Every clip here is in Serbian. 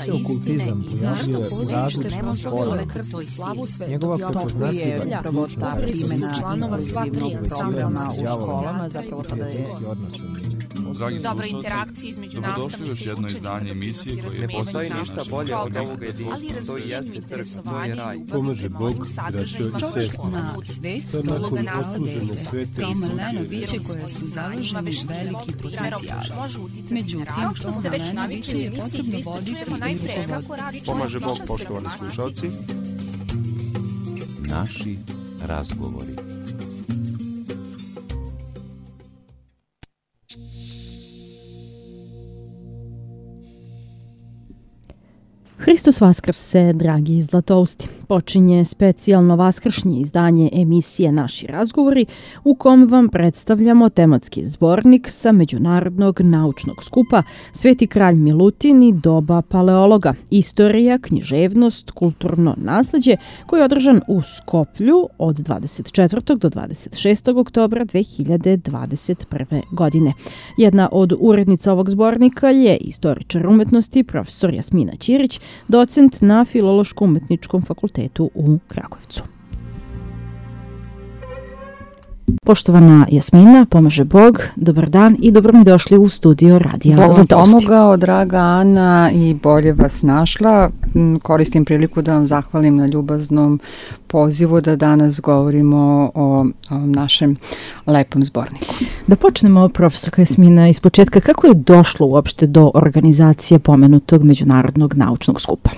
se okultizam pojavljuje u različitim formama. Njegova prepoznatljiva ključna članova sva tri programa u školama, zapravo sada je dobra interakcija između nastavnika i učenika, emisije koje ne postoji ništa bolje od ovog jedinstva, to i jeste crkva, to je raj. Pomaže Bog, braćo i sestre. na svet, uloga nastavnika kao maleno biće koje su založeni veliki potencijal. Međutim, to maleno biće je potrebno voditi i rukovoditi. Pomaže Bog, poštovani slušalci. Naši razgovori. Hristos Vaskrse, dragi zlatousti. Počinje specijalno vaskršnje izdanje emisije Naši razgovori u kom vam predstavljamo tematski zbornik sa Međunarodnog naučnog skupa Sveti kralj Milutin i doba paleologa, istorija, književnost, kulturno nasleđe koji je održan u Skoplju od 24. do 26. oktobra 2021. godine. Jedna od urednica ovog zbornika je istoričar umetnosti profesor Jasmina Ćirić, docent na Filološko-umetničkom fakultetu u Kragujevcu. Poštovana Jasmina, pomaže Bog, dobar dan i dobro mi došli u studio Radija Zlatousti. Bog vam pomogao, draga Ana, i bolje vas našla. Koristim priliku da vam zahvalim na ljubaznom pozivu da danas govorimo o našem lepom zborniku. Da počnemo, profesorka Jasmina, iz početka. Kako je došlo uopšte do organizacije pomenutog Međunarodnog naučnog skupa?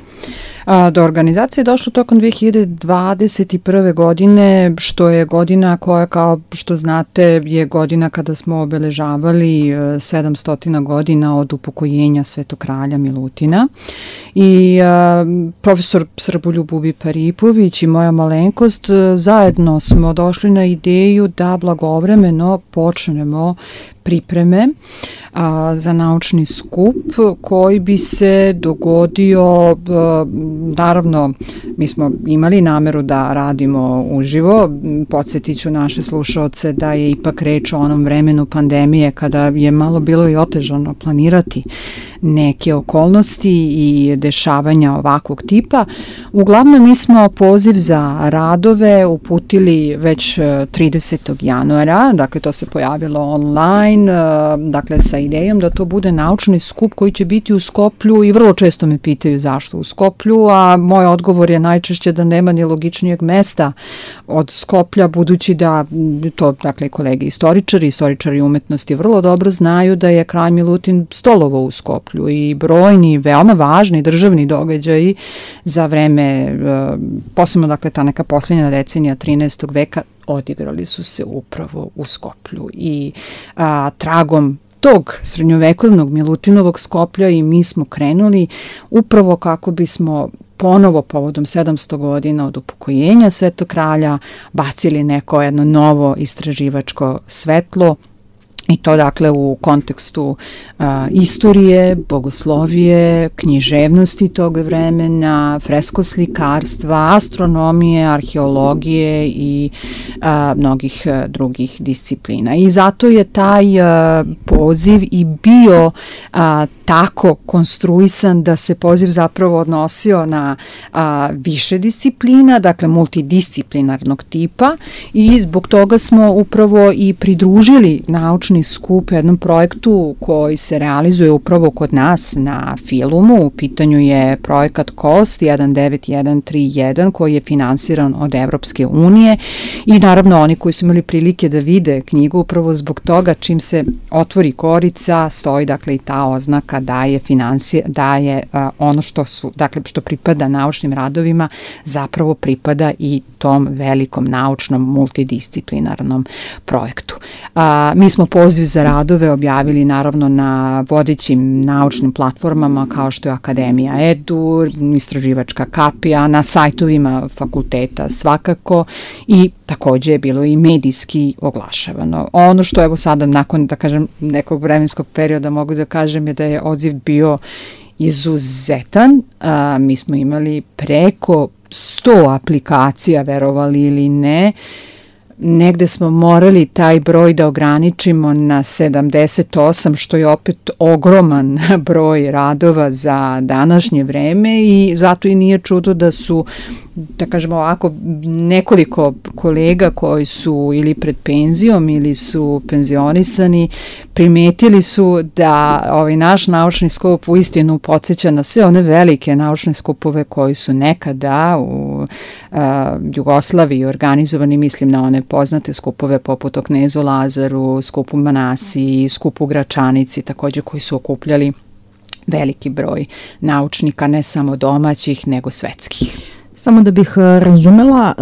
Do organizacije je došlo tokom 2021. godine, što je godina koja, kao što znate, je godina kada smo obeležavali 700 godina od upokojenja Svetog kralja Milutina. I profesor Srboljub Bubi Paripović i moja malenkost zajedno smo došli na ideju da blagovremeno počnemo pripreme za naučni skup koji bi se dogodio, naravno mi smo imali nameru da radimo uživo, podsjetit ću naše slušaoce da je ipak reč o onom vremenu pandemije kada je malo bilo i otežano planirati neke okolnosti i dešavanja ovakvog tipa. Uglavnom mi smo poziv za radove uputili već 30. januara, dakle to se pojavilo online, dakle sa idejom da to bude naučni skup koji će biti u Skoplju i vrlo često me pitaju zašto u Skoplju, a moj odgovor je najčešće da nema ni logičnijeg mesta od Skoplja, budući da to, dakle, kolege istoričari umetnosti vrlo dobro znaju da je kralj Milutin stolovao u Skoplju i brojni, veoma važni državni događaji za vreme, posebno, dakle, ta neka posljednja decenija 13. veka odigrali su se upravo u Skoplju i tragom tog srednjovekovnog Milutinovog Skoplja i mi smo krenuli upravo kako bismo ponovo povodom 700 godina od upokojenja Svetog kralja bacili neko jedno novo istraživačko svetlo, i to, dakle, u kontekstu istorije, bogoslovije, književnosti tog vremena, freskoslikarstva, astronomije, arheologije i mnogih drugih disciplina. I zato je taj poziv i bio tako konstruisan da se poziv zapravo odnosio na više disciplina, dakle multidisciplinarnog tipa, i zbog toga smo upravo i pridružili naučni skup jednom projektu koji se realizuje upravo kod nas na Filumu. U pitanju je projekat KOST 19131 koji je finansiran od Evropske unije i naravno oni koji su imali prilike da vide knjigu, upravo zbog toga čim se otvori korica stoji, dakle, i ta oznaka da je ono što pripada naučnim radovima zapravo pripada i tom velikom naučnom multidisciplinarnom projektu. Mi smo poziv za radove objavili naravno na vodećim naučnim platformama kao što je Akademija Edu, Istraživačka kapija, na sajtovima fakulteta svakako, i takođe je bilo i medijski oglašavano. Ono što evo sada nakon, da kažem, nekog vremenskog perioda mogu da kažem je da je odziv bio izuzetan. Mi smo imali preko 100 aplikacija, verovali ili ne. negde smo morali taj broj da ograničimo na 78, što je opet ogroman broj radova za današnje vreme i zato i nije čudo da su, da kažemo ovako, nekoliko kolega koji su ili pred penzijom ili su penzionisani, primetili su da ovaj naš naučni skup uistinu podsjeća na sve one velike naučne skupove koji su nekada u Jugoslaviji organizovani, mislim na one poznate skupove poput o Knezu Lazaru, skupu Manasiji, skupu Gračanici, takođe koji su okupljali veliki broj naučnika, ne samo domaćih, nego svetskih. Samo da bih razumela,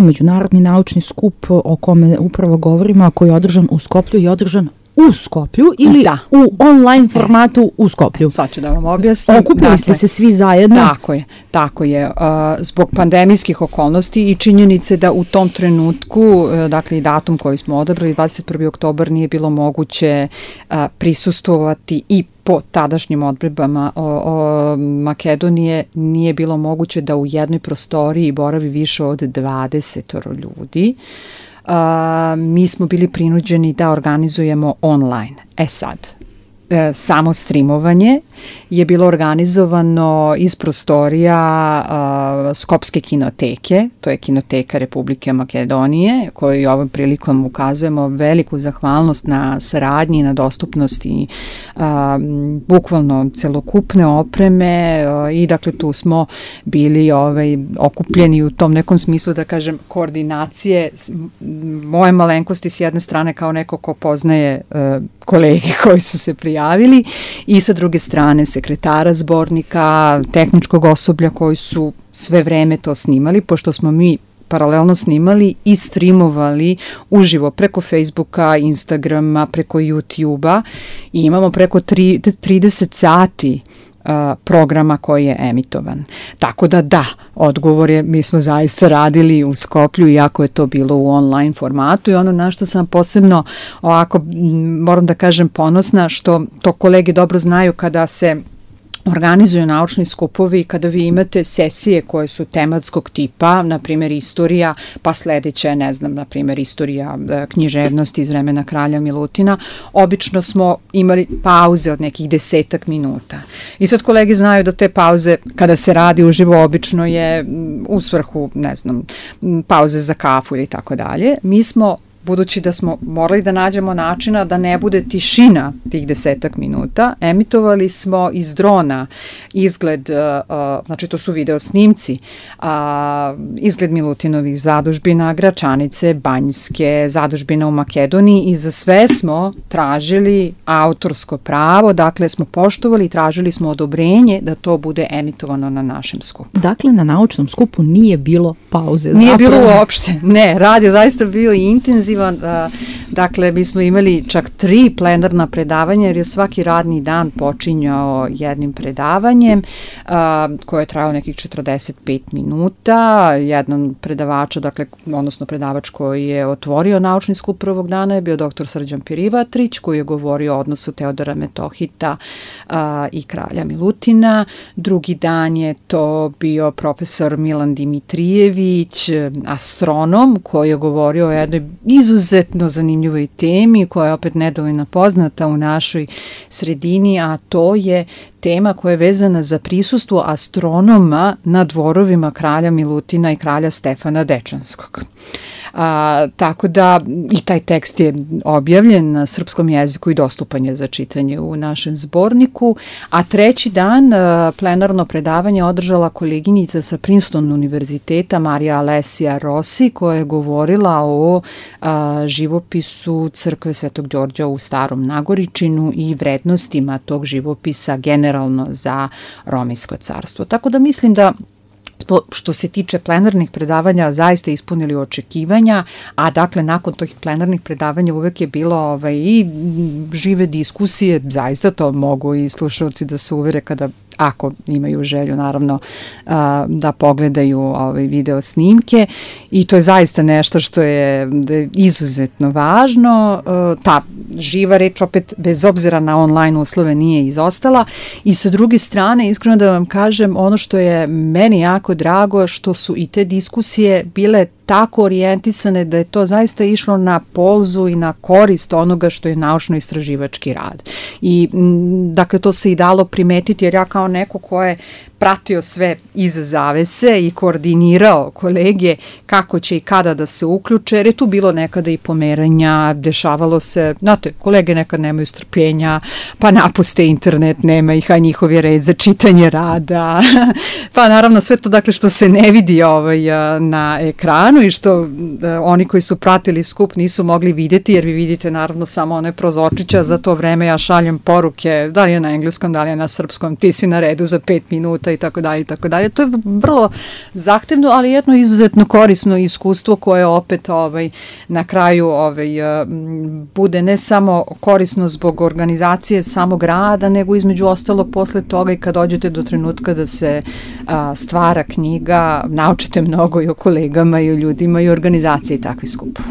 međunarodni naučni skup o kome upravo govorimo, a koji je održan u Skoplju, je održan u Skoplju ili u online formatu u Skoplju? Sad ću da vam objasnim. Okupili ste se svi zajedno? Tako je. Zbog pandemijskih okolnosti i činjenice da u tom trenutku, dakle i datum koji smo odabrali, 21. oktobar, nije bilo moguće prisustvovati i po tadašnjim odredbama Makedonije nije bilo moguće da u jednoj prostoriji boravi više od 20 ljudi. Mi smo bili prinuđeni da organizujemo online. Sad, samo streamovanje je bilo organizovano iz prostorija Skopske kinoteke, to je Kinoteka Republike Makedonije, kojoj ovom prilikom ukazujemo veliku zahvalnost na saradnji, na dostupnosti bukvalno celokupne opreme i dakle tu smo bili okupljeni u tom nekom smislu, da kažem, koordinacije moje malenkosti s jedne strane kao neko ko poznaje kolege koji su se prijavili i sa druge strane sekretara zbornika, tehničkog osoblja koji su sve vreme to snimali, pošto smo mi paralelno snimali i streamovali uživo preko Facebooka, Instagrama, preko YouTubea i imamo preko 30 sati programa koji je emitovan. Tako da, odgovor je, mi smo zaista radili u Skoplju, iako je to bilo u online formatu i ono na što sam posebno ovako, moram da kažem, ponosna, što to kolege dobro znaju kada se organizuju naučni skupovi, kada vi imate sesije koje su tematskog tipa, na primjer istorija, pa sledeća je, ne znam, na primjer istorija književnosti iz vremena kralja Milutina, obično smo imali pauze od nekih 10 minuta. I sad kolege znaju da te pauze, kada se radi uživo, obično je u svrhu, ne znam, pauze za kafu ili tako dalje. Mi smo, budući da smo morali da nađemo načina da ne bude tišina tih 10 minuta, emitovali smo iz drona izgled, znači to su video snimci, izgled Milutinovih zadužbina, Gračanice, Banjske, zadužbina u Makedoniji i za sve smo tražili autorsko pravo, dakle smo poštovali i tražili smo odobrenje da to bude emitovano na našem skupu. Dakle, na naučnom skupu nije bilo pauze. Nije bilo uopšte, ne, rad je zaista bio intenzivan. Dakle, mi smo imali čak 3 plenarna predavanja jer je svaki radni dan počinjao jednim predavanjem koje je trajalo nekih 45 minuta. Jedan predavač, dakle, odnosno predavač koji je otvorio naučni skup prvog dana je bio dr. Srđan Pirivatrić, koji je govorio o odnosu Teodora Metohita i kralja Milutina. Drugi dan je to bio profesor Milan Dimitrijević, astronom, koji je govorio o jednoj izuzetno zanimljivoj temi koja je opet nedovoljno poznata u našoj sredini, a to je tema koja je vezana za prisustvo astronoma na dvorovima kralja Milutina i kralja Stefana Dečanskog. Tako da i taj tekst je objavljen na srpskom jeziku i dostupan je za čitanje u našem zborniku, a treći dan plenarno predavanje održala koleginica sa Princeton univerziteta Marija Alesija Rossi, koja je govorila o živopisu crkve Svetog Đorđa u Starom Nagoričinu i vrednostima tog živopisa generalno za Romejsko carstvo. Tako da mislim da što se tiče plenarnih predavanja zaista ispunili očekivanja, a dakle nakon tih plenarnih predavanja uvek je bilo i žive diskusije, zaista to mogu i slušalci da se uvere kada, ako imaju želju naravno da pogledaju video snimke i to je zaista nešto što je izuzetno važno. Ta živa reč, opet bez obzira na online uslove nije izostala. I sa druge strane, iskreno da vam kažem, ono što je meni jako drago, što su i te diskusije bile tako orijentisane da je to zaista išlo na polzu i na korist onoga što je naučno-istraživački rad. I dakle to se i dalo primetiti, jer ja kao neko ko je pratio sve iza zavese i koordinirao kolege kako će i kada da se uključe, jer je tu bilo nekada i pomeranja, dešavalo se, znate, kolege nekad nemaju strpljenja, pa napuste internet, nema ih, a njihov je red za čitanje rada, pa naravno sve to dakle što se ne vidi na ekranu i što oni koji su pratili skup nisu mogli videti, jer vi vidite naravno samo one prozorčića, za to vreme ja šaljem poruke, da li je na engleskom, da li je na srpskom, ti si na redu za 5 minuta i tako dalje i tako dalje. To je vrlo zahtevno, ali jedno izuzetno korisno iskustvo koje opet na kraju bude ne samo korisno zbog organizacije samog rada, nego između ostalog posle toga i kad dođete do trenutka da se stvara knjiga, naučite mnogo i o kolegama i o ljudima i o organizaciji takvih skupova.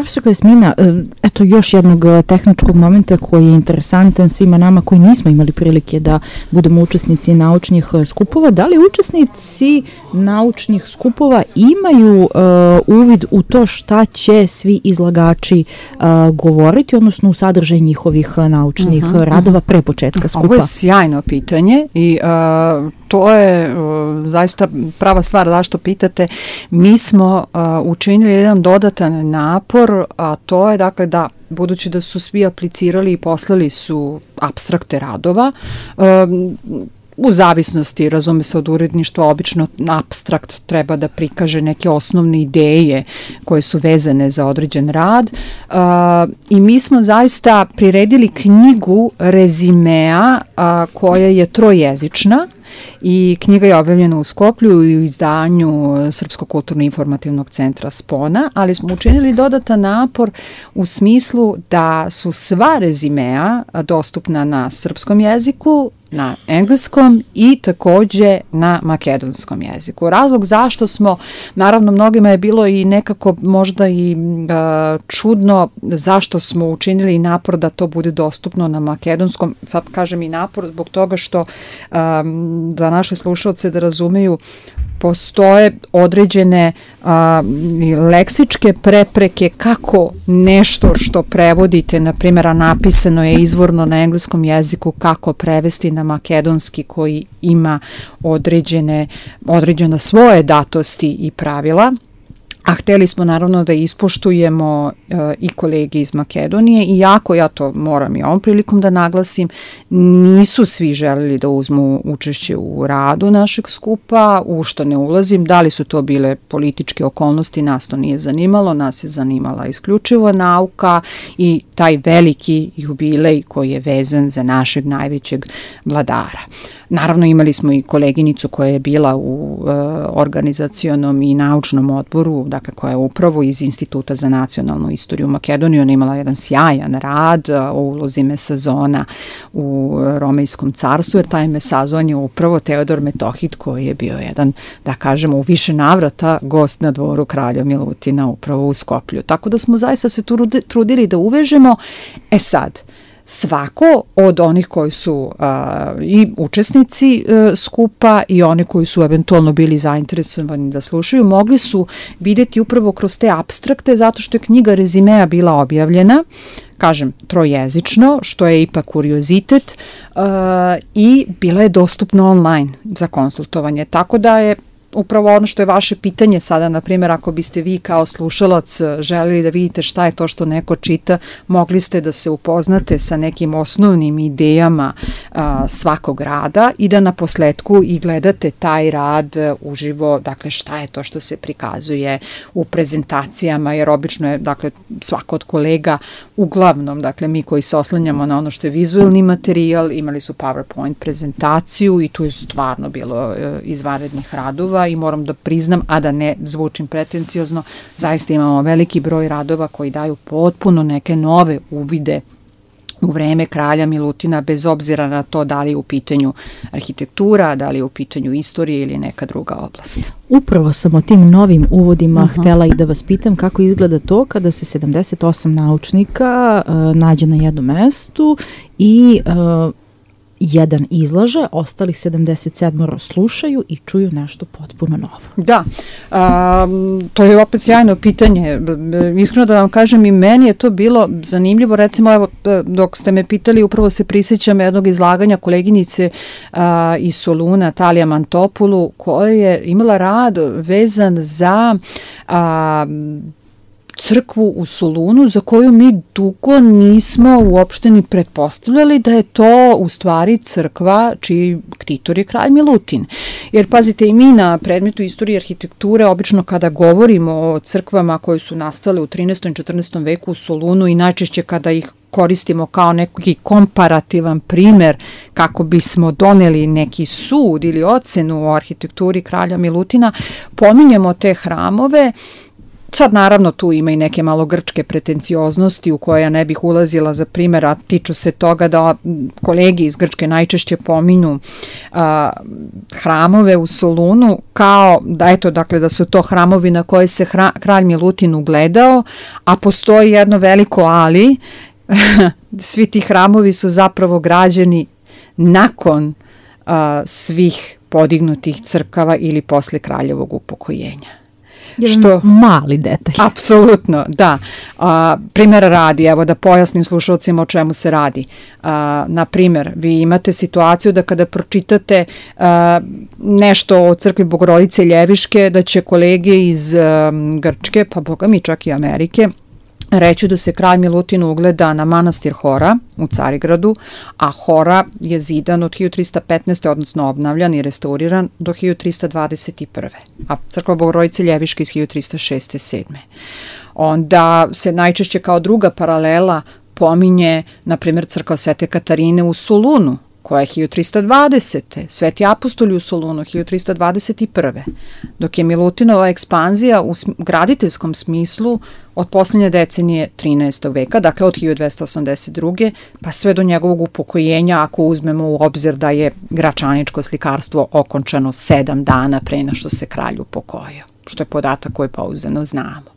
Profesor Jasmina, eto još jednog tehničkog momenta koji je interesantan svima nama koji nismo imali prilike da budemo učesnici naučnih skupova. Da li učesnici naučnih skupova imaju uvid u to šta će svi izlagači govoriti, odnosno u sadržaj njihovih naučnih radova pre početka skupa? Ovo je sjajno pitanje i to je zaista prava stvar zašto pitate. Mi smo učinili jedan dodatan napor, a to je dakle da budući da su svi aplicirali i poslali su apstrakte radova, u zavisnosti, razume se, od uredništva, obično apstrakt treba da prikaže neke osnovne ideje koje su vezane za određen rad i mi smo zaista priredili knjigu rezimea koja je trojezična i knjiga je objavljena u Skoplju i u izdanju Srpskog kulturno-informativnog centra Spona, ali smo učinili dodatan napor u smislu da su sva rezimea dostupna na srpskom jeziku, na engleskom i takođe na makedonskom jeziku. Razlog zašto smo, naravno mnogima je bilo i nekako možda i čudno zašto smo učinili napor da to bude dostupno na makedonskom, sad kažem i napor zbog toga što da naše slušalce da razumeju, postoje određene leksičke prepreke kako nešto što prevodite, na primjer, a napisano je izvorno na engleskom jeziku, kako prevesti na makedonski koji ima određena svoje datosti i pravila. A hteli smo naravno da ispoštujemo i kolege iz Makedonije, iako ja to moram i ovom prilikom da naglasim, nisu svi želeli da uzmu učešće u radu našeg skupa, u što ne ulazim, da li su to bile političke okolnosti, nas to nije zanimalo, nas je zanimala isključivo nauka i taj veliki jubilej koji je vezan za našeg najvećeg vladara. Naravno imali smo i koleginicu koja je bila u organizacionom i naučnom odboru, dakle koja je upravo iz Instituta za nacionalnu istoriju Makedonije. Ona imala jedan sjajan rad o ulozi Mesazona u Romejskom carstvu, jer taj Mesazon je upravo Teodor Metohid koji je bio jedan, da kažemo, u više navrata gost na dvoru kralja Milutina upravo u Skoplju. Tako da smo zaista se trudili da uvežemo. Sad, svako od onih koji su i učesnici skupa i oni koji su eventualno bili zainteresovani da slušaju, mogli su vidjeti upravo kroz te apstrakte, zato što je knjiga rezimea bila objavljena, kažem, trojezično, što je ipak kuriozitet, i bila je dostupna online za konsultovanje, tako da je upravo ono što je vaše pitanje sada, na primjer, ako biste vi kao slušalac želeli da vidite šta je to što neko čita, mogli ste da se upoznate sa nekim osnovnim idejama svakog rada i da na posledku i gledate taj rad uživo, dakle šta je to što se prikazuje u prezentacijama, jer obično je, dakle, svako od kolega, uglavnom, dakle, mi koji se oslanjamo na ono što je vizuelni materijal, imali su PowerPoint prezentaciju i tu je stvarno bilo izvanrednih radova i moram da priznam, a da ne zvučim pretenciozno, zaista imamo veliki broj radova koji daju potpuno neke nove uvide u vreme kralja Milutina, bez obzira na to da li je u pitanju arhitektura, da li je u pitanju istorije ili neka druga oblast. Upravo sam o tim novim uvodima htela i da vas pitam kako izgleda to kada se 78 naučnika nađe na jednom mestu i jedan izlaže, ostalih 77 slušaju i čuju nešto potpuno novo. Da, to je opet sjajno pitanje. Iskreno da vam kažem, i meni je to bilo zanimljivo. Recimo, evo, dok ste me pitali, upravo se prisjećam jednog izlaganja koleginice iz Soluna, Talija Mantopulu, koja je imala rad vezan za crkvu u Solunu, za koju mi dugo nismo uopšte ni pretpostavljali da je to u stvari crkva čiji ktitor je kralj Milutin. Jer pazite, i mi na predmetu istorije arhitekture obično kada govorimo o crkvama koje su nastale u 13. i 14. veku u Solunu i najčešće kada ih koristimo kao neki komparativan primer kako bismo doneli neki sud ili ocenu o arhitekturi kralja Milutina, pominjemo te hramove Sad naravno tu ima i neke malo grčke pretencioznosti u koje ja ne bih ulazila, za primjer, a tiču se toga da kolegi iz Grčke najčešće pominju hramove u Solunu kao da eto, dakle, da su to hramovi na koje se kralj Milutin ugledao, a postoji jedno veliko ali, svi ti hramovi su zapravo građeni nakon svih podignutih crkava ili posle kraljevog upokojenja. Što mali detalj. Apsolutno, da. Primjera radi, evo da pojasnim slušalcima o čemu se radi. Na primjer, vi imate situaciju da kada pročitate nešto o crkvi Bogorodice Ljeviške, da će kolege iz Grčke, pa boga mi čak i Amerike, reći da se kralj Milutin ugleda na manastir Hora u Carigradu, a Hora je zidan od 1315. odnosno obnavljan i restauriran do 1321. a crkva Bogorodice Ljeviške iz 1306. 7. Onda se najčešće kao druga paralela pominje, na primjer, crkva Svete Katarine u Solunu, koja je 1320. Sveti apostoli u Solunu 1321. Dok je Milutinova ekspanzija u graditeljskom smislu od posljednje decenije 13. veka, dakle od 1282. pa sve do njegovog upokojenja, ako uzmemo u obzir da je gračaničko slikarstvo okončano 7 dana pre nego što se kralj upokojio, što je podatak koji pouzdano znamo.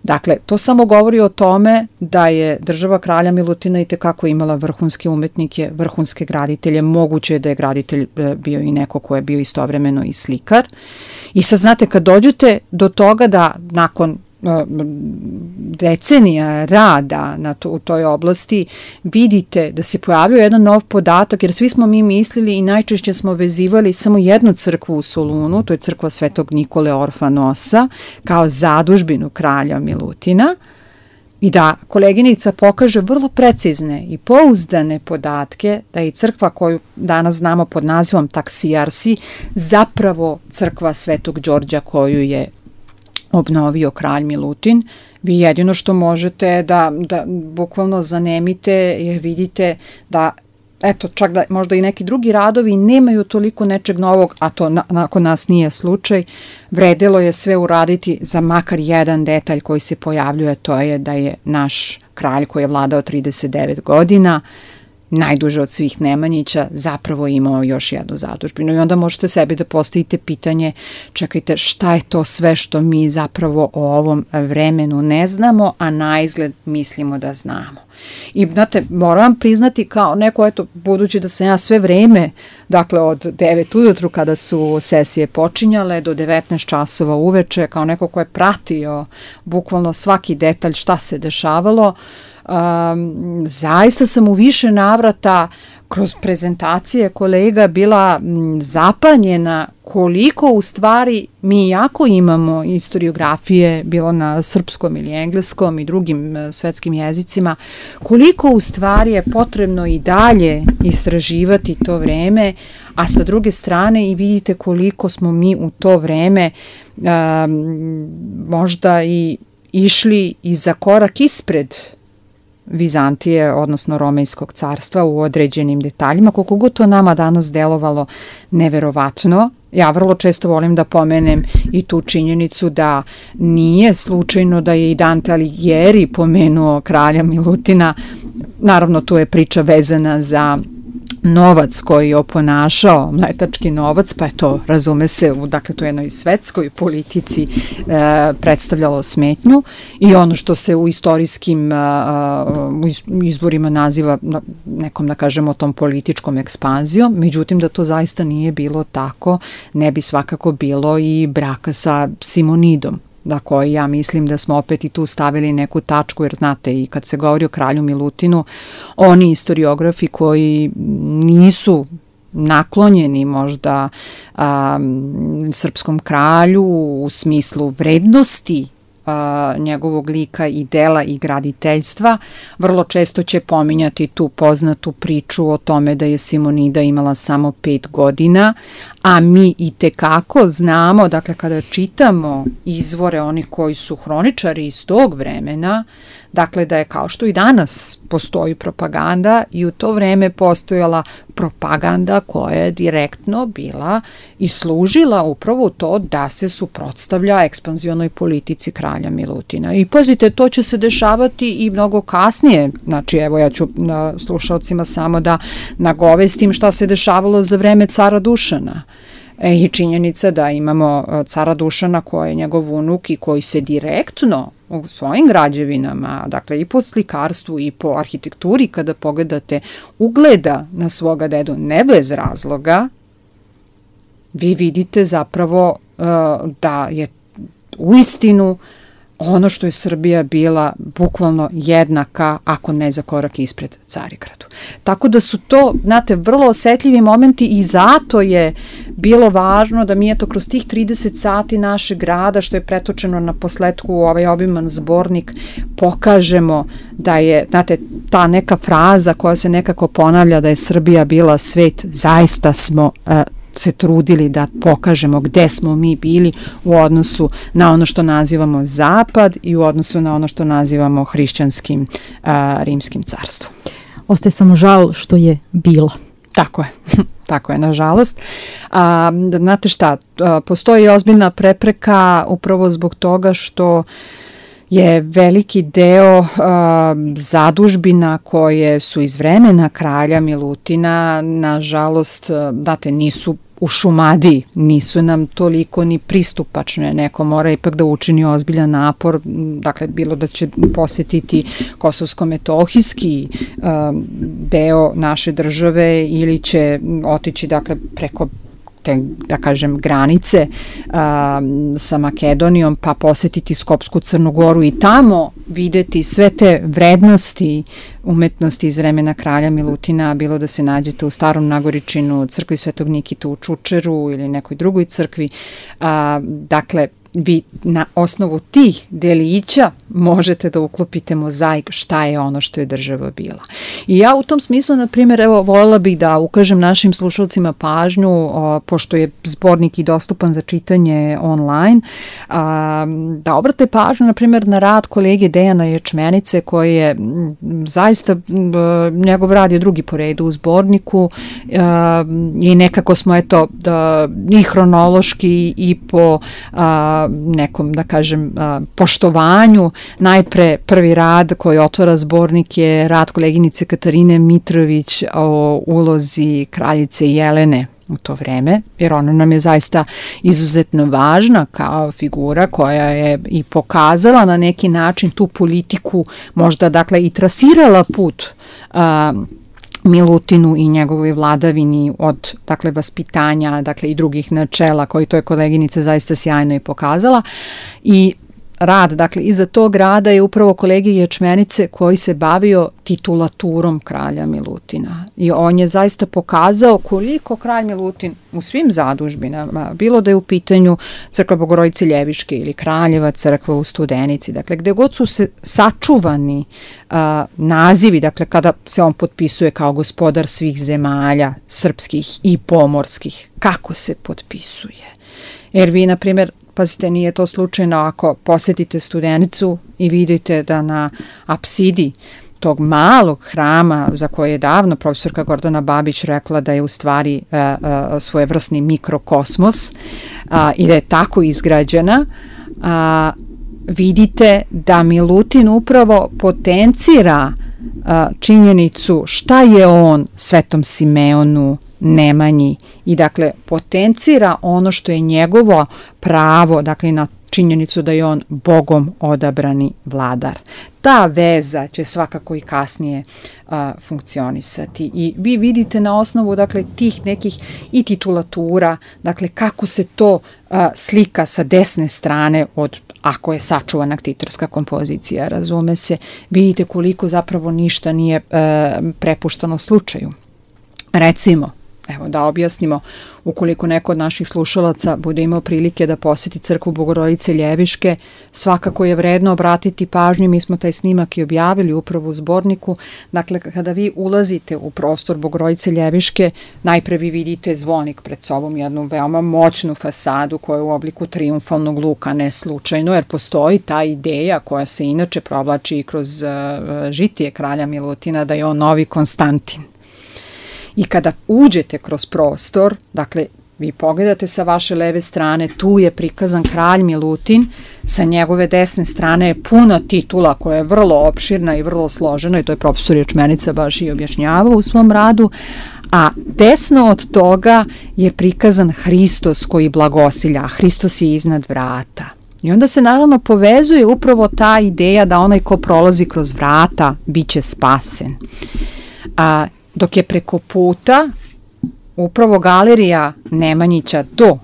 Dakle, to samo govori o tome da je država kralja Milutina itekako imala vrhunske umetnike, vrhunske graditelje, moguće je da je graditelj bio i neko ko je bio istovremeno i slikar. I sad znate, kad dođete do toga da nakon decenija rada u toj oblasti vidite da se pojavio jedan nov podatak, jer svi smo mi mislili i najčešće smo vezivali samo jednu crkvu u Solunu, to je crkva Svetog Nikole Orfanosa, kao zadužbinu kralja Milutina, i da koleginica pokaže vrlo precizne i pouzdane podatke da je crkva koju danas znamo pod nazivom Taksijarsi zapravo crkva Svetog Đorđa koju je obnovio kralj Milutin. Vi jedino što možete da bukvalno zanemite je vidite da eto, čak da možda i neki drugi radovi nemaju toliko nečeg novog, a to nakon nas nije slučaj, vredelo je sve uraditi za makar jedan detalj koji se pojavljuje, to je da je naš kralj koji je vladao 39 godina, najduže od svih Nemanjića, zapravo imao još jednu zadužbinu. I onda možete sebi da postavite pitanje, čekajte, šta je to sve što mi zapravo o ovom vremenu ne znamo, a na izgled mislimo da znamo. I znate, moram priznati kao neko, eto, budući da sam ja sve vreme, dakle od 9 ujutru kada su sesije počinjale do 19 časova uveče, kao neko ko je pratio bukvalno svaki detalj šta se dešavalo, zaista sam u više navrata kroz prezentacije kolega bila zapanjena koliko u stvari mi jako imamo historiografije, bilo na srpskom ili engleskom i drugim svetskim jezicima, koliko u stvari je potrebno i dalje istraživati to vreme, a sa druge strane i vidite koliko smo mi u to vreme možda i išli i za korak ispred Vizantije, odnosno Romejskog carstva u određenim detaljima, koliko god to nama danas delovalo neverovatno. Ja vrlo često volim da pomenem i tu činjenicu da nije slučajno da je i Dante Alighieri pomenuo kralja Milutina. Naravno, tu je priča vezana za novac koji je oponašao, mletački novac, pa je to, razume se, dakle to je jednoj svetskoj politici predstavljalo smetnju i ono što se u istorijskim izvorima naziva nekom, da kažemo, tom političkom ekspanzijom, međutim da to zaista nije bilo tako, ne bi svakako bilo i braka sa Simonidom, na koji ja mislim da smo opet i tu stavili neku tačku, jer znate, i kad se govori o kralju Milutinu, oni historiografi koji nisu naklonjeni možda srpskom kralju u smislu vrednosti njegovog lika i dela i graditeljstva, vrlo često će pominjati tu poznatu priču o tome da je Simonida imala samo 5 godina, a mi i tekako znamo, dakle kada čitamo izvore onih koji su hroničari iz tog vremena, dakle da je kao što i danas postoji propaganda i u to vreme postojala propaganda koja je direktno bila i služila upravo to da se suprotstavlja ekspanzionoj politici kralja Milutina. I pazite, to će se dešavati i mnogo kasnije, znači evo ja ću slušalcima samo da nagovestim šta se dešavalo za vreme cara Dušana. I činjenica da imamo cara Dušana koji je njegov unuk i koji se direktno u svojim građevinama, dakle i po slikarstvu i po arhitekturi, kada pogledate, ugleda na svoga dedu ne bez razloga, vi vidite zapravo da je uistinu ono što je Srbija bila bukvalno jednaka, ako ne za korak ispred Carigradu. Tako da su to, znate, vrlo osetljivi momenti i zato je bilo važno da mi eto kroz tih 30 sati našeg rada, što je pretočeno na posletku u ovaj obiman zbornik, pokažemo da je, znate, ta neka fraza koja se nekako ponavlja da je Srbija bila svet, zaista smo se trudili da pokažemo gde smo mi bili u odnosu na ono što nazivamo Zapad i u odnosu na ono što nazivamo hrišćanskim rimskim carstvom. Ostaje samo žal što je bila. Tako je, tako je, nažalost. Znate šta, postoji ozbiljna prepreka upravo zbog toga što je veliki deo zadužbina koje su iz vremena kralja Milutina, nažalost, znate, nisu u Šumadiji, nisu nam toliko ni pristupačne, neko mora ipak da učini ozbiljan napor, dakle, bilo da će posjetiti kosovsko-metohijski deo naše države ili će otići, dakle, preko te, da kažem, granice sa Makedonijom, pa posetiti Skopsku Crnu Goru i tamo videti sve te vrednosti umetnosti iz vremena kralja Milutina, bilo da se nađete u Starom Nagoričinu, crkvi Svetog Nikita u Čučeru ili nekoj drugoj crkvi. Dakle, vi na osnovu tih delića možete da uklopite mozaik šta je ono što je država bila. I ja u tom smislu, na primjer, evo, voljela bih da ukažem našim slušalcima pažnju, pošto je zbornik i dostupan za čitanje online, da obrate pažnju, na primjer, na rad kolege Dejana Ječmenice, koji je zaista, njegov rad je drugi po redu u zborniku i nekako smo, eto, i hronološki i po nekom, da kažem, poštovanju. Najpre prvi rad koji otvara zbornik je rad koleginice Katarine Mitrović o ulozi kraljice Jelene u to vreme, jer ona nam je zaista izuzetno važna kao figura koja je i pokazala na neki način tu politiku, možda, dakle, i trasirala put Milutinu i njegovoj vladavini od, dakle, vaspitanja, dakle, i drugih načela koji to je koleginica zaista sjajno i pokazala. I rad, dakle, iza tog rada je upravo kolege Ječmenice koji se bavio titulaturom kralja Milutina. I on je zaista pokazao koliko kralj Milutin u svim zadužbinama, bilo da je u pitanju crkva Bogorodice Ljeviške ili Kraljeva crkva u Studenici, dakle, gde god su se sačuvani nazivi, dakle, kada se on potpisuje kao gospodar svih zemalja, srpskih i pomorskih, kako se potpisuje. Jer vi, na primjer, pazite, nije to slučajno ako posetite Studenicu i vidite da na apsidi tog malog hrama za koje je davno profesorka Gordana Babić rekla da je u stvari svojevrsni mikrokosmos i da je tako izgrađena, vidite da Milutin upravo potencira činjenicu šta je on Svetom Simeonu, Nemanji i, dakle, potencira ono što je njegovo pravo, dakle, na činjenicu da je on Bogom odabrani vladar. Ta veza će svakako i kasnije funkcionisati i vi vidite na osnovu, dakle, tih nekih i titulatura, dakle, kako se to slika sa desne strane od, ako je sačuvana ktitorska kompozicija, razume se, vidite koliko zapravo ništa nije prepušteno slučaju. Recimo, Evo da objasnimo, ukoliko neko od naših slušalaca bude imao prilike da poseti crkvu Bogorodice Ljeviške, svakako je vredno obratiti pažnju, mi smo taj snimak i objavili upravo u zborniku. Dakle, kada vi ulazite u prostor Bogorodice Ljeviške, najpre vi vidite zvonik pred sobom, jednu veoma moćnu fasadu koja je u obliku trijumfalnog luka, ne slučajno, jer postoji ta ideja koja se inače provlači i kroz žitije kralja Milutina da je on novi Konstantin. I kada uđete kroz prostor, dakle, vi pogledate sa vaše leve strane, tu je prikazan kralj Milutin, sa njegove desne strane je puno titula koja je vrlo opširna i vrlo složena, i to je profesor Ječmenica baš i objašnjavao u svom radu, a desno od toga je prikazan Hristos koji blagosilja, Hristos je iznad vrata. I onda se naravno povezuje upravo ta ideja da onaj ko prolazi kroz vrata bit će spasen. Dok je preko puta upravo galerija Nemanjića do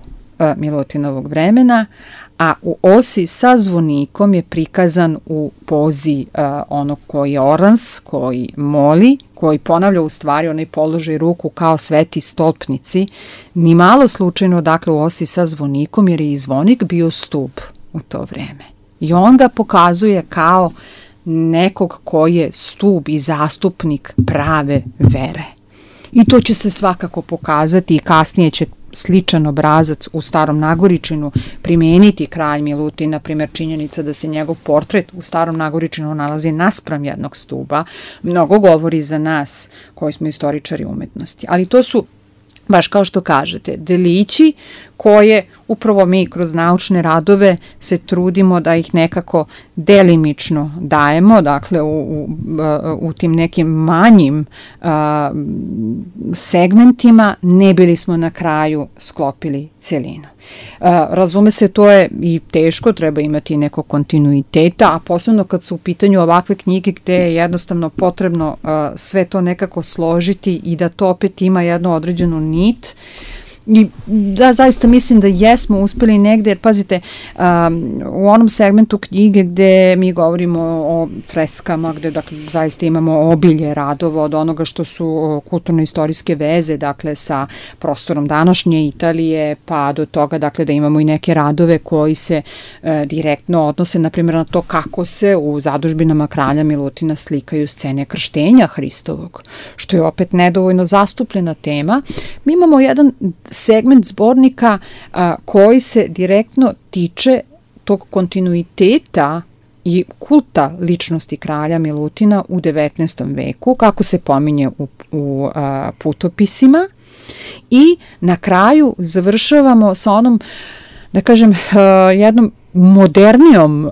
Milutinovog vremena, a u osi sa zvonikom je prikazan u pozi onog koji je orans, koji moli, koji ponavlja u stvari onaj položaj ruku kao sveti stolpnici, ni malo slučajno, dakle, u osi sa zvonikom, jer je i zvonik bio stup u to vreme. I on ga pokazuje kao nekog ko je stub i zastupnik prave vere. I to će se svakako pokazati i kasnije će sličan obrazac u Starom Nagoričinu primeniti kralj Milutin, na primjer činjenica da se njegov portret u Starom Nagoričinu nalazi naspram jednog stuba, mnogo govori za nas koji smo istoričari umetnosti. Ali to su, baš kao što kažete, delići koje upravo mi kroz naučne radove se trudimo da ih nekako delimično dajemo, dakle u tim nekim manjim segmentima, ne bili smo na kraju sklopili celinu. Razume se, to je i teško, treba imati neko kontinuiteta, a posebno kad su u pitanju ovakve knjige gde je jednostavno potrebno sve to nekako složiti i da to opet ima jednu određenu nit. I da, zaista mislim da jesmo uspeli negde, jer pazite, u onom segmentu knjige gde mi govorimo o freskama, gde dakle, zaista imamo obilje radova od onoga što su kulturno-istorijske veze, dakle sa prostorom današnje Italije, pa do toga dakle da imamo i neke radove koji se direktno odnose, na primjer, na to kako se u zadužbinama kralja Milutina slikaju scene krštenja Hristovog, što je opet nedovoljno zastupljena tema. Mi imamo jedan segment zbornika koji se direktno tiče tog kontinuiteta i kulta ličnosti kralja Milutina u 19. veku, kako se pominje u putopisima, i na kraju završavamo sa onom, da kažem, jednom modernijom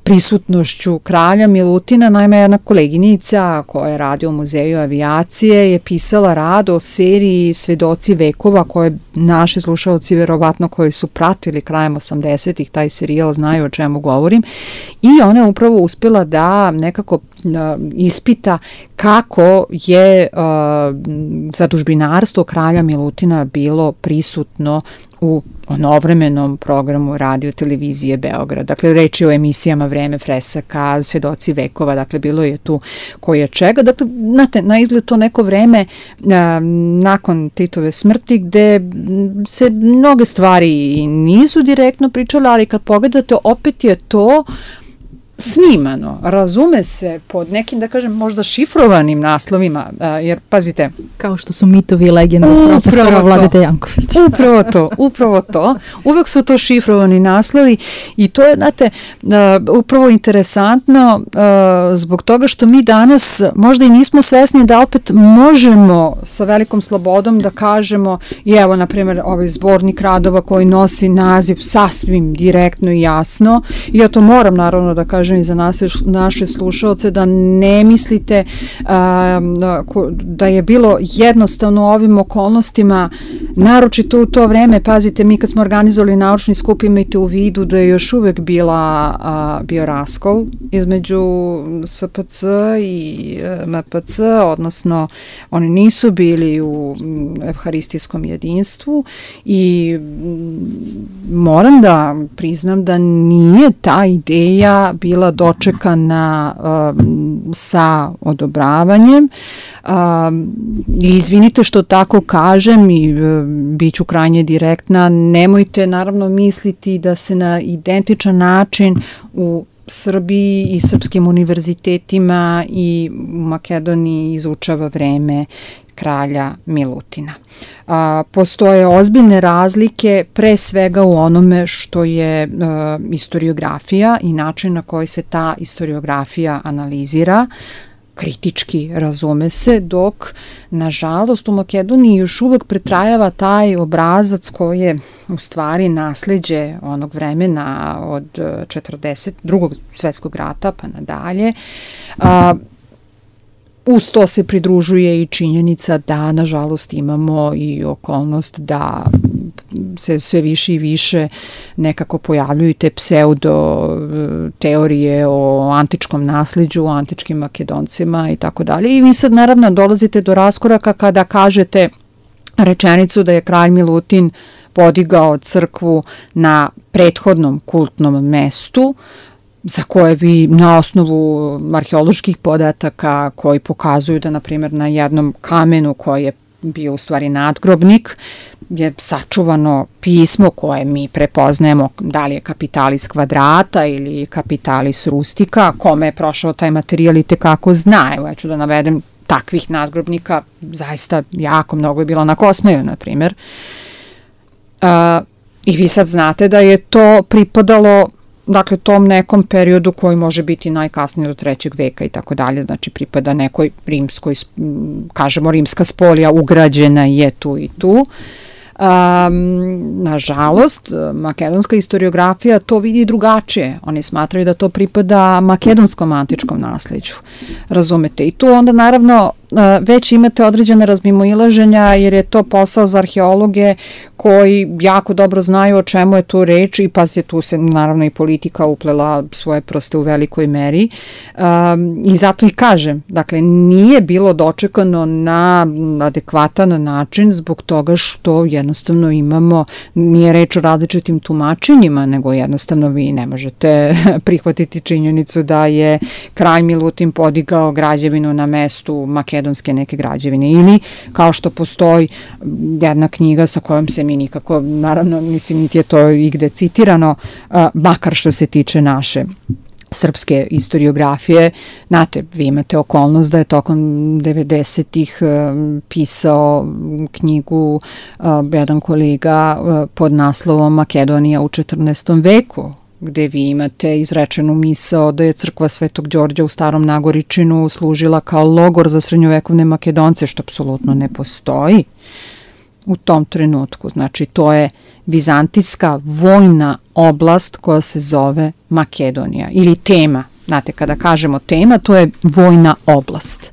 prisutnošću kralja Milutina. Naime, jedna koleginica koja radi u Muzeju avijacije je pisala rad o seriji Svedoci vekova, koje naši slušalci verovatno koji su pratili krajem 80-ih taj serijal znaju o čemu govorim, i ona je upravo uspjela da nekako ispita kako je zadužbinarstvo kralja Milutina bilo prisutno u onovremenom programu radio televizije Beograd. Dakle, reč je o emisijama Vreme fresaka, Svedoci vekova, dakle, bilo je tu koje čega. Dakle, znate, na izgled to neko vreme nakon Titove smrti gde se mnoge stvari nisu direktno pričale, ali kad pogledate, opet je to snimano, razume se pod nekim, da kažem, možda šifrovanim naslovima, jer, pazite... Kao što su mitovi i legende profesora Vladete Jankovića. Upravo to. Uvek su to šifrovani naslovi i to je, znate, upravo interesantno zbog toga što mi danas možda i nismo svesni da opet možemo sa velikom slobodom da kažemo, i evo, na primjer, ovaj zbornik radova koji nosi naziv sasvim direktno i jasno, i ja to moram naravno da kažem i za naše slušalce, da ne mislite da je bilo jednostavno u ovim okolnostima naročito u to vreme, pazite, mi kad smo organizovali naučni skup, imajte u vidu da je još uvek bio raskol između SPC i MPC, odnosno oni nisu bili u evharistijskom jedinstvu i moram da priznam da nije ta ideja bila dočekana sa odobravanjem. I izvinite što tako kažem i bit ću krajnje direktna, nemojte naravno misliti da se na identičan način u Srbiji i srpskim univerzitetima i u Makedoniji izučava vreme kralja Milutina. Postoje ozbiljne razlike pre svega u onome što je istoriografija i način na koji se ta istoriografija analizira, kritički razume se, dok nažalost u Makedoniji još uvek pretrajava taj obrazac koji je u stvari nasleđe onog vremena od 42. svetskog rata pa nadalje. Uz to se pridružuje i činjenica da nažalost imamo i okolnost da se sve više i više nekako pojavljuju te pseudo teorije o antičkom nasleđu, o antičkim Makedoncima i tako dalje. I vi sad naravno dolazite do raskoraka kada kažete rečenicu da je kralj Milutin podigao crkvu na prethodnom kultnom mestu, za koje vi na osnovu arheoloških podataka koji pokazuju da, na primjer, na jednom kamenu koji je bio u stvari nadgrobnik, je sačuvano pismo koje mi prepoznajemo, da li je Capitalis Quadrata ili Capitalis Rustica, kome je prošao taj materijal i tekako zna. Evo, ja ću da navedem takvih nadgrobnika, zaista jako mnogo je bilo na Kosmaju, na primjer. I vi sad znate da je to pripadalo dakle tom nekom periodu koji može biti najkasnije do 3. veka i tako dalje, znači pripada nekoj rimskoj, kažemo rimska spolija, ugrađena je tu i tu. Nažalost, makedonska historiografija to vidi drugačije. Oni smatraju da to pripada makedonskom antičkom nasleđu. Razumete? I tu onda naravno već imate određene razmimoilaženja jer je to posao za arheologe koji jako dobro znaju o čemu je tu reč i pazite, tu se naravno i politika uplela svoje prste u velikoj meri i zato i kažem, dakle nije bilo dočekano na adekvatan način zbog toga što jednostavno imamo, nije reč o različitim tumačenjima, nego jednostavno vi ne možete prihvatiti činjenicu da je kralj Milutin podigao građevinu na mestu makedonske neke građevine ili kao što postoji jedna knjiga sa kojom se mi nikako, naravno, mislim, niti je to igde citirano, makar što se tiče naše srpske historiografije. Znate, vi imate okolnost da je tokom 90-ih pisao knjigu jedan kolega pod naslovom Makedonija u 14. veku, gde vi imate izrečenu misao da je crkva Svetog Đorđa u Starom Nagoričinu služila kao logor za srednjovekovne Makedonce, što apsolutno ne postoji u tom trenutku. Znači, to je vizantijska vojna oblast koja se zove Makedonija ili tema. Znate, kada kažemo tema, to je vojna oblast.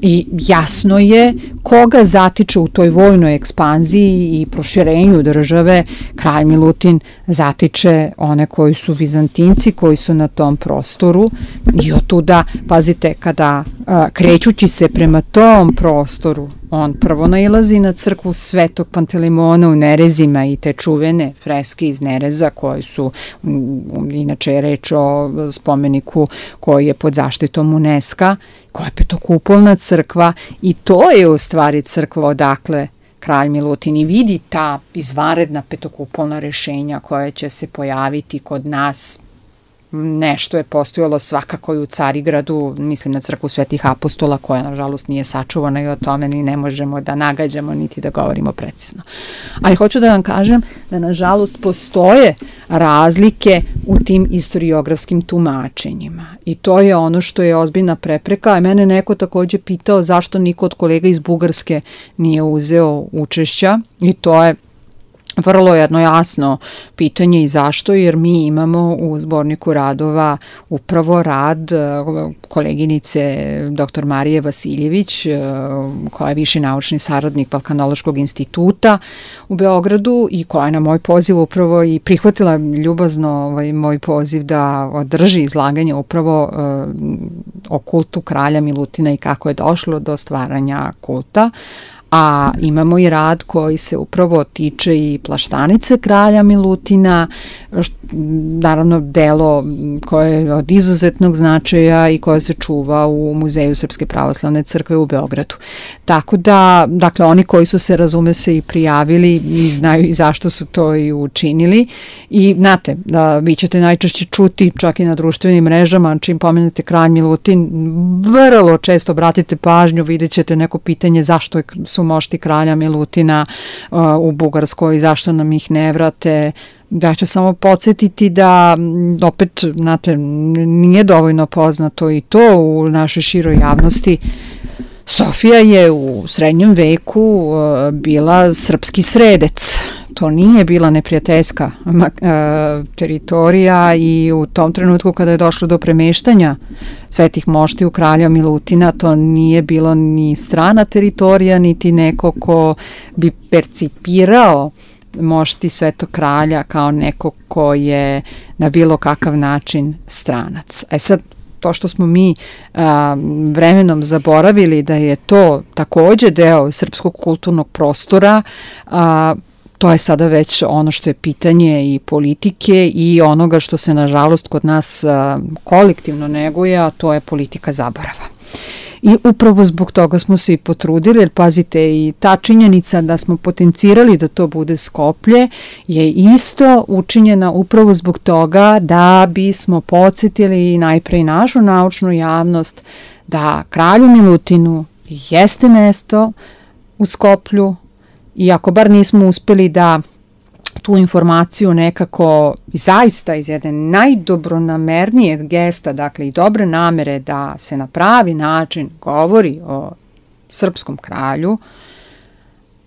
I jasno je koga zatiče u toj vojnoj ekspanziji i proširenju države. Kralj Milutin zatiče one koji su Vizantinci, koji su na tom prostoru i otuda, pazite, kada krećući se prema tom prostoru, on prvo nailazi na crkvu Svetog Pantelimona u Nerezima i te čuvene freske iz Nereza koje su, inače je reč o spomeniku koji je pod zaštitom UNESCO, koja je petokupolna crkva i to je u stvari crkva odakle kralj Milutin i vidi ta izvanredna petokupolna rešenja koja će se pojaviti kod nas. Nešto je postojalo svakako i u Carigradu, mislim na crkvu Svetih apostola koja nažalost nije sačuvana i o tome ni ne možemo da nagađamo niti da govorimo precizno. Ali hoću da vam kažem da nažalost postoje razlike u tim historiografskim tumačenjima i to je ono što je ozbiljna prepreka. Mene neko takođe pitao zašto niko od kolega iz Bugarske nije uzeo učešća i to je vrlo jedno jasno pitanje i zašto, jer mi imamo u zborniku radova upravo rad koleginice dr. Marije Vasiljević, koja je viši naučni saradnik Balkanološkog instituta u Beogradu i koja je na moj poziv upravo i prihvatila ljubazno moj poziv da održi izlaganje upravo o kultu kralja Milutina i kako je došlo do stvaranja kulta. A imamo i rad koji se upravo tiče i plaštanice kralja Milutina, naravno delo koje je od izuzetnog značaja i koje se čuva u Muzeju Srpske pravoslavne crkve u Beogradu. Tako da, dakle, oni koji su se, razume se, i prijavili i znaju i zašto su to i učinili. I znate, vi ćete najčešće čuti čak i na društvenim mrežama, čim pomenete kralj Milutin, vrlo često obratite pažnju, vidjet ćete neko pitanje zašto su mošti kralja Milutina u Bugarskoj, zašto nam ih ne vrate. Da ću samo podsjetiti da, opet, znate, nije dovoljno poznato i to u našoj široj javnosti. Sofija je u srednjem veku bila srpski sredec. To nije bila neprijateljska teritorija i u tom trenutku kada je došlo do premeštanja svetih moštiju kralja Milutina, to nije bilo ni strana teritorija, niti neko ko bi percipirao mošti Svetog kralja kao neko ko je na bilo kakav način stranac. Sad, to što smo mi vremenom zaboravili da je to takođe deo srpskog kulturnog prostora, to je sada već ono što je pitanje i politike i onoga što se nažalost kod nas kolektivno neguje, a to je politika zaborava. I upravo zbog toga smo se i potrudili, jer pazite, i ta činjenica da smo potencirali da to bude Skoplje je isto učinjena upravo zbog toga da bismo podsjetili najpre i našu naučnu javnost da kralju Milutinu jeste mesto u Skoplju, i ako bar nismo uspeli da tu informaciju nekako zaista iz jedne najdobronamernijeg gesta, dakle i dobre namere da se na pravi način govori o srpskom kralju,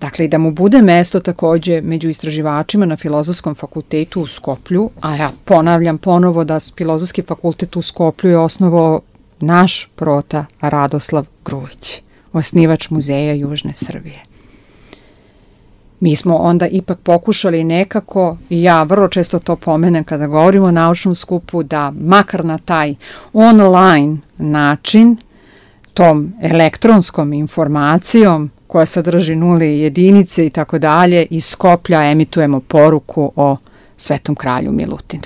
dakle i da mu bude mesto takođe među istraživačima na Filozofskom fakultetu u Skoplju, a ja ponavljam ponovo da Filozofski fakultet u Skoplju je osnovao naš prota Radoslav Grujić, osnivač Muzeja Južne Srbije. Mi smo onda ipak pokušali nekako, i ja vrlo često to pomenem kada govorimo o naučnom skupu, da makar na taj online način, tom elektronskom informacijom koja sadrži nule i jedinice i tako dalje, iz Skoplja emitujemo poruku o Svetom kralju Milutinu.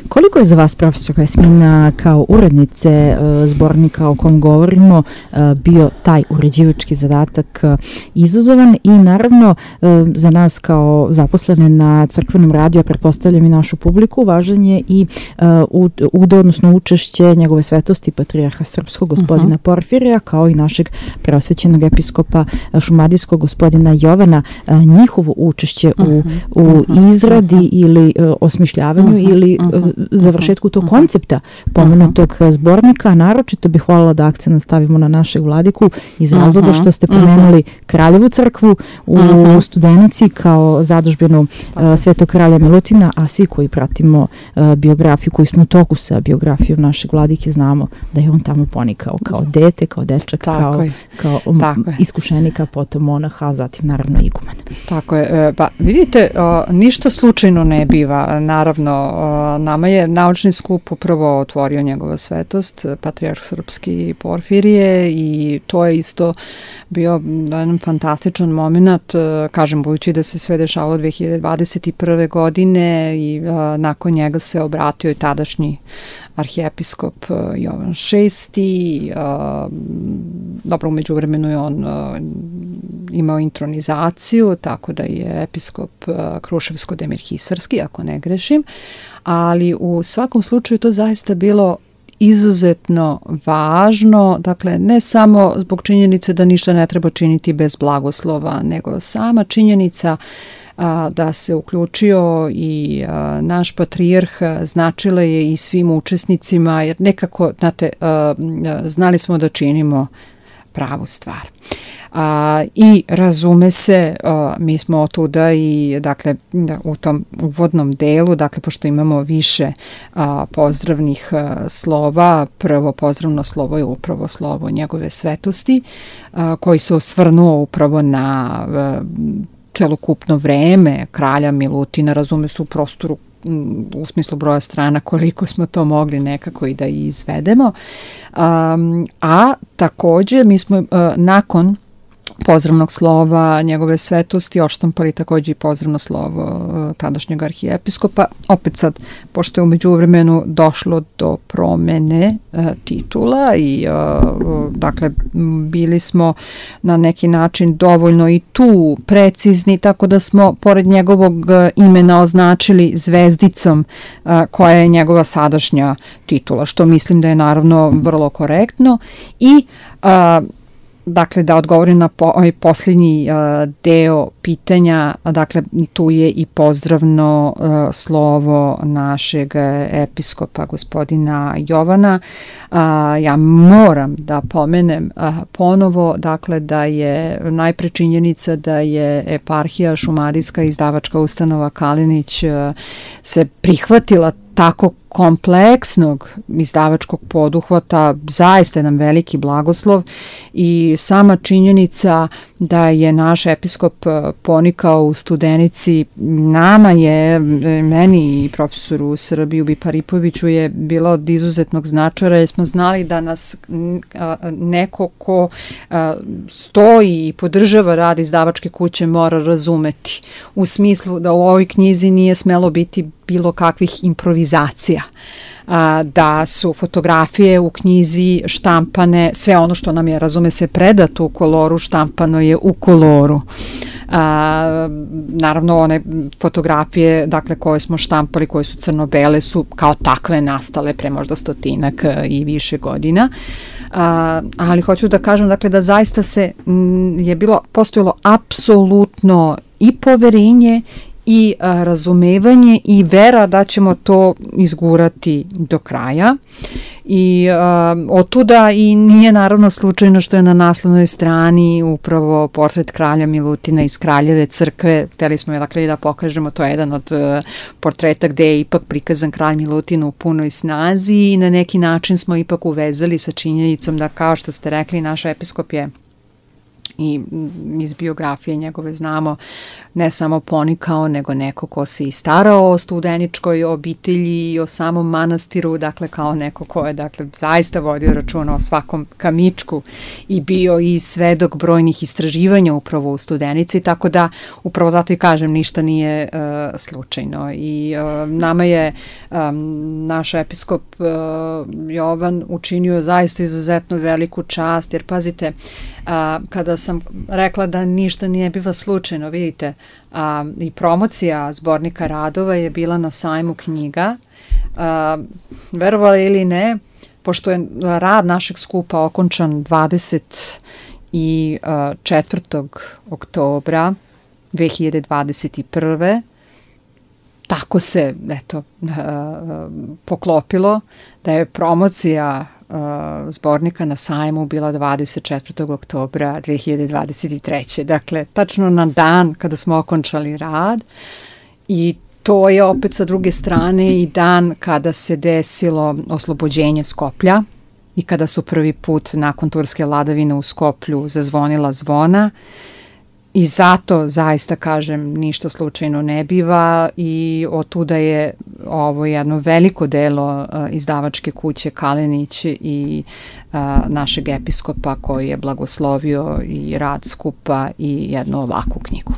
Koliko je za vas, profesor Jasmina, kao urednice zbornika o kom govorimo, bio taj uređivački zadatak izazovan i naravno za nas kao zaposlene na crkvenom radiju, a pretpostavljam i našu publiku, važan je i odnosno učešće njegove svetosti patrijarha srpskog gospodina Porfirija, kao i našeg preosvećenog episkopa šumadijskog gospodina Jovana, njihovo učešće u izradi ili osmišljavanju ili završetku tog koncepta pomenutog zbornika. Naročito bih voljela da akcent stavimo na našeg vladiku iz razloga što ste pomenuli Kraljevu crkvu u Studenici kao zadužbinu Svetog kralja Milutina, a svi koji pratimo biografiju, koji smo u toku sa biografijom našeg vladike, znamo da je on tamo ponikao kao dete, kao dečak, kao iskušenika, potom monaha, a zatim naravno iguman. Tako je. Pa vidite, ništa slučajno ne biva. Naravno, nama je naučni skup upravo otvorio njegova svetost, patrijarh srpski Porfirije, i to je isto bio jedan fantastičan moment, kažem, budući da se sve dešavalo 2021. godine i nakon njega se obratio i tadašnji arhijepiskop Jovan VI. Dobro, umeđu vremenu je on imao intronizaciju, tako da je episkop Kruševsko-Demirhisarski, ako ne grešim, ali u svakom slučaju to zaista bilo izuzetno važno, dakle ne samo zbog činjenice da ništa ne treba činiti bez blagoslova, nego sama činjenica da se uključio i naš patrijarh značila je i svim učesnicima, jer nekako, znate, znali smo da činimo pravu stvar. I razume se, mi smo otuda i dakle u tom uvodnom delu, dakle pošto imamo više pozdravnih slova, prvo pozdravno slovo je upravo slovo njegove svetosti, koji se osvrnuo upravo na celokupno vreme kralja Milutina, razume se u prostoru u smislu broja strana koliko smo to mogli nekako i da izvedemo. A takođe mi smo nakon pozdravnog slova njegove svetosti odštampali takođe i pozdravno slovo tadašnjeg arhijepiskopa. Opet sad, pošto je umeđu vremenu došlo do promene titula i dakle bili smo na neki način dovoljno i tu precizni, tako da smo pored njegovog imena označili zvezdicom koja je njegova sadašnja titula, što mislim da je naravno vrlo korektno. I dakle, da odgovorim na ovaj posljednji deo pitanja, dakle, tu je i pozdravno slovo našeg episkopa gospodina Jovana. Ja moram da pomenem ponovo, dakle, da je najpre činjenica da je eparhija šumadijska izdavačka ustanova Kalinić se prihvatila tako kompleksnog izdavačkog poduhvata, zaista jedan veliki blagoslov, i sama činjenica da je naš episkop ponikao u Studenici, nama je, meni i profesoru Srbiju Biparipoviću je bilo od izuzetnog značaja, jer smo znali da nas neko ko stoji i podržava rad izdavačke kuće mora razumeti, u smislu da u ovoj knjizi nije smelo biti bilo kakvih improvizacija. da su fotografije u knjizi štampane, sve ono što nam je, razume se, predato u koloru, štampano je u koloru. Naravno, one fotografije, dakle, koje smo štampali, koje su crno-bele, su kao takve nastale pre možda 100-ak i više godina. Ali hoću da kažem, dakle, da zaista je postojalo apsolutno i poverenje i razumevanje i vera da ćemo to izgurati do kraja. I otuda i nije naravno slučajno što je na naslovnoj strani upravo portret kralja Milutina iz Kraljeve crkve. Hteli smo dakle da pokažemo, to je jedan od portreta gde je ipak prikazan kralj Milutin u punoj snazi i na neki način smo ipak uvezali sa činjenicom da, kao što ste rekli, naš episkop je i iz biografije njegove znamo ne samo ponikao, nego neko ko se i starao o studeničkoj obitelji i o samom manastiru, dakle kao neko ko je dakle zaista vodio računa o svakom kamičku i bio i svedok brojnih istraživanja upravo u Studenici, tako da upravo zato i kažem, ništa nije slučajno. I nama je naš episkop Jovan učinio zaista izuzetno veliku čast, jer pazite, kada sam rekla da ništa nije biva slučajno, vidite, i promocija zbornika radova je bila na sajmu knjiga. Verovali ili ne, pošto je rad našeg skupa okončan 24. oktobra 2021. Tako se, eto, poklopilo da je promocija zbornika na sajmu bila 24. oktobra 2023. Dakle, tačno na dan kada smo okončali rad, i to je opet sa druge strane i dan kada se desilo oslobođenje Skoplja i kada su prvi put nakon turske vladavine u Skoplju zazvonila zvona. I zato, zaista kažem, ništa slučajno ne biva i otuda je ovo jedno veliko delo izdavačke kuće Kalenić i našeg episkopa koji je blagoslovio i rad skupa i jednu ovakvu knjigu.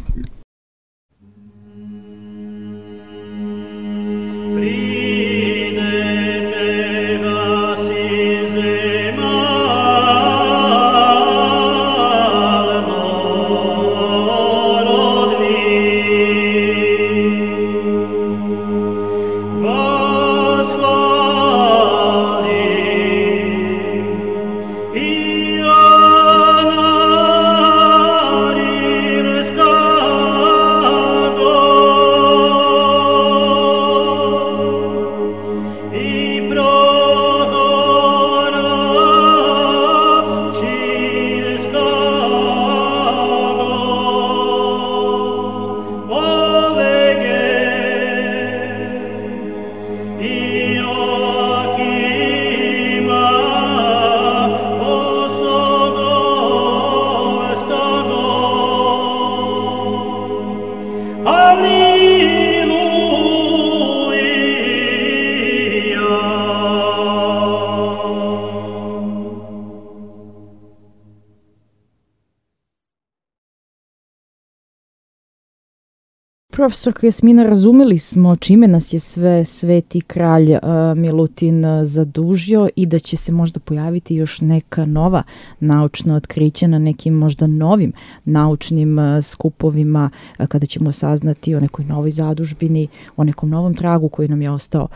Profesorka Jasmina, razumeli smo čime nas je sve sveti kralj Milutin zadužio i da će se možda pojaviti još neka nova naučna otkrića na nekim možda novim naučnim skupovima, kada ćemo saznati o nekoj novoj zadužbini, o nekom novom tragu koji nam je ostao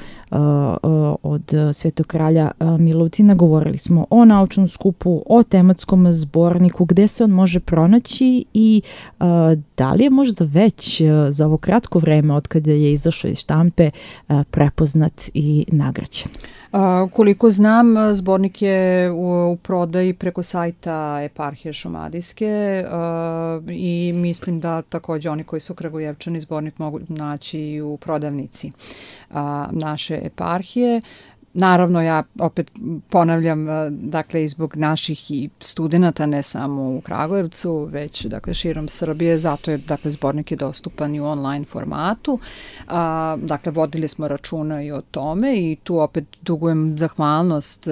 od svetog kralja Milutina. Govorili smo o naučnom skupu, o tematskom zborniku, gde se on može pronaći i da li je možda već za ovo kratko vreme od kada je izašao iz štampe prepoznat i nagrađen? Koliko znam, zbornik je u prodaji preko sajta Eparhije Šumadijske i mislim da takođe oni koji su Kragujevčani zbornik mogu naći i u prodavnici naše eparhije. Naravno, ja opet ponavljam, dakle, i zbog naših i studenta, ne samo u Kragujevcu, već, dakle, širom Srbije, zato je, dakle, zbornik je dostupan i u online formatu. Dakle, vodili smo računa i o tome i tu opet dugujem zahvalnost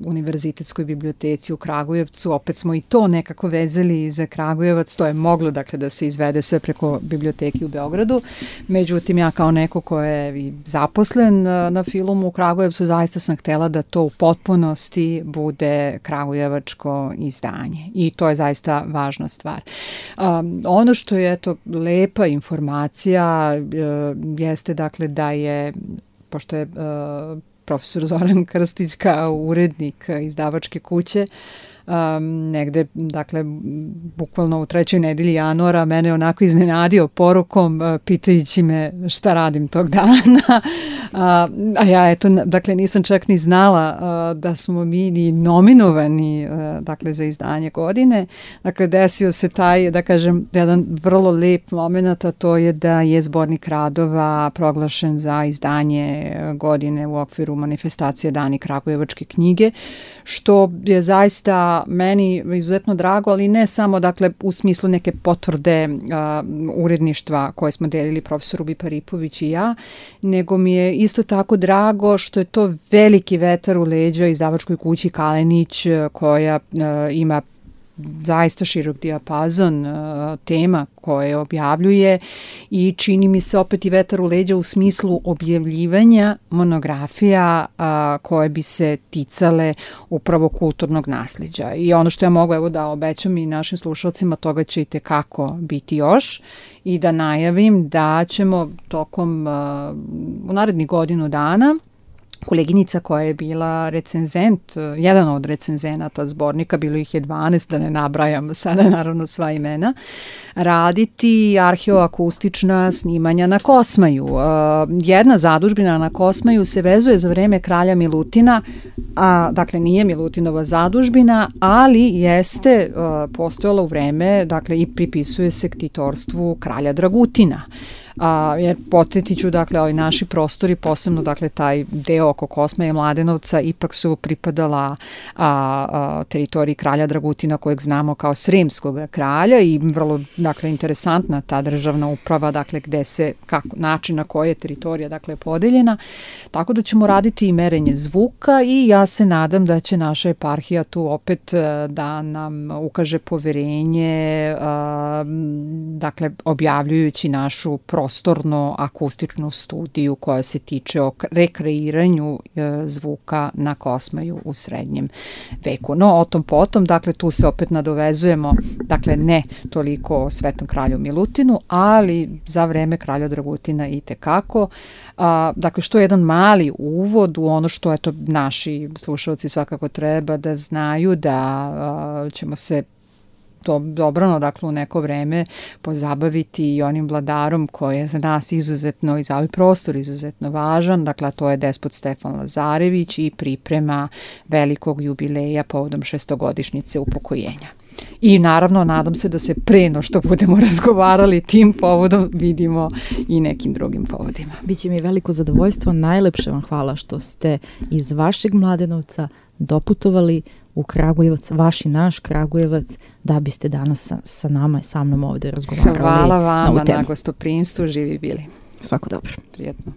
Univerzitetskoj biblioteci u Kragujevcu. Opet smo i to nekako vezali za Kragujevac, to je moglo, dakle, da se izvede sve preko biblioteki u Beogradu. Međutim, ja kao neko ko je zaposlen na Filumu Kragujevcu zaista sam htela da to u potpunosti bude kragujevačko izdanje i to je zaista važna stvar. Ono što je lepa informacija jeste dakle da je, pošto je profesor Zoran Krstić kao urednik izdavačke kuće, negde, dakle, bukvalno u 3. nedelji januara mene onako iznenadio porukom pitajući me šta radim tog dana, a ja dakle nisam čak ni znala da smo mi ni nominovani dakle za izdanje godine. Dakle, desio se taj, da kažem, jedan vrlo lep moment, a to je da je zbornik radova proglašen za izdanje godine u okviru manifestacije Dani kragujevačke knjige, što je zaista meni izuzetno drago, ali ne samo dakle u smislu neke potvrde uredništva koje smo delili profesor Rubi Paripović i ja, nego mi je isto tako drago što je to veliki vetar u leđa izdavačkoj kući Kalenić, koja ima zaista širok dijapazon tema koje objavljuje i čini mi se opet i vetar u leđa u smislu objavljivanja monografija koje bi se ticale upravo kulturnog nasleđa. I ono što ja mogu da obećam i našim slušalcima, toga će i tekako biti još, i da najavim da ćemo tokom u narednih godinu dana koleginica koja je bila recenzent, jedan od recenzenata zbornika, bilo ih je 12, da ne nabrajam sada naravno sva imena, raditi arheoakustična snimanja na Kosmaju. Jedna zadužbina na Kosmaju se vezuje za vreme kralja Milutina, dakle nije Milutinova zadužbina, ali jeste postojala u vreme, dakle i pripisuje se ktitorstvu kralja Dragutina. Jer podsjetit ću, dakle, ovi naši prostori, posebno, dakle, taj deo oko Kosmaja i Mladenovca, ipak su pripadala teritoriji kralja Dragutina, kojeg znamo kao Sremskog kralja, i vrlo, dakle, interesantna ta državna uprava, dakle, gde se, način na koji je teritorija, dakle, podeljena. Tako da ćemo raditi i merenje zvuka i ja se nadam da će naša eparhija tu opet da nam ukaže poverenje, dakle, objavljujući našu prostorno akustičnu studiju koja se tiče o rekreiranju zvuka na Kosmaju u srednjem veku. No, o tom potom, dakle, tu se opet nadovezujemo, dakle, ne toliko o Svetom kralju Milutinu, ali za vreme kralja Dragutina i tekako. Dakle, što je jedan mali uvod u ono što, eto, naši slušalci svakako treba da znaju, da ćemo se to dobrano, dakle, u neko vreme pozabaviti i onim vladarom koji je za nas izuzetno i za ovaj prostor izuzetno važan, dakle, to je despot Stefan Lazarević i priprema velikog jubileja povodom 600-godišnjice upokojenja. I naravno, nadam se da se pre no što budemo razgovarali tim povodom vidimo i nekim drugim povodima. Biće mi veliko zadovoljstvo, najlepše vam hvala što ste iz vašeg Mladenovca doputovali u Kragujevac, vaš i naš Kragujevac, da biste danas sa nama i sa mnom ovde razgovarali. Hvala vama na gostoprimstvu, živi bili. Svako dobro. Prijetno.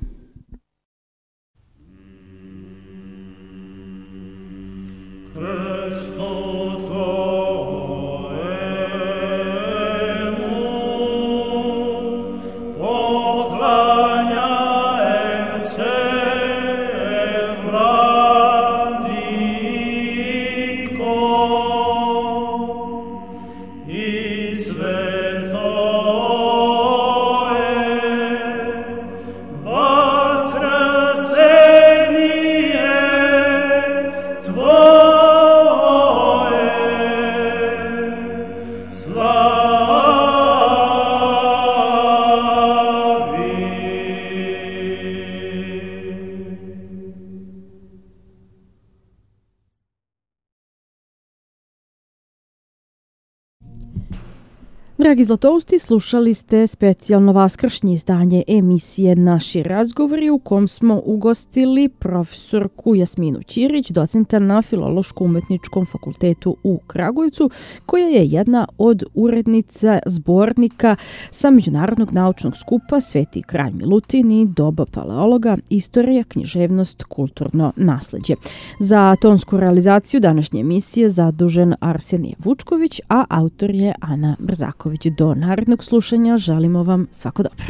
Dragi Zlatousti, slušali ste specijalno vaskršnje izdanje emisije Naši razgovori, u kom smo ugostili profesorku Jasminu Ćirić, docenta na Filološko-umetničkom fakultetu u Kragujevcu, koja je jedna od urednica zbornika sa Međunarodnog naučnog skupa Sveti kralj Milutin i doba paleologa, istorija, književnost, kulturno nasleđe. Za tonsku realizaciju današnje emisije zadužen Arsenije Vučković, a autor je Ana Brzaković. Do narednog slušanja želimo vam svako dobro.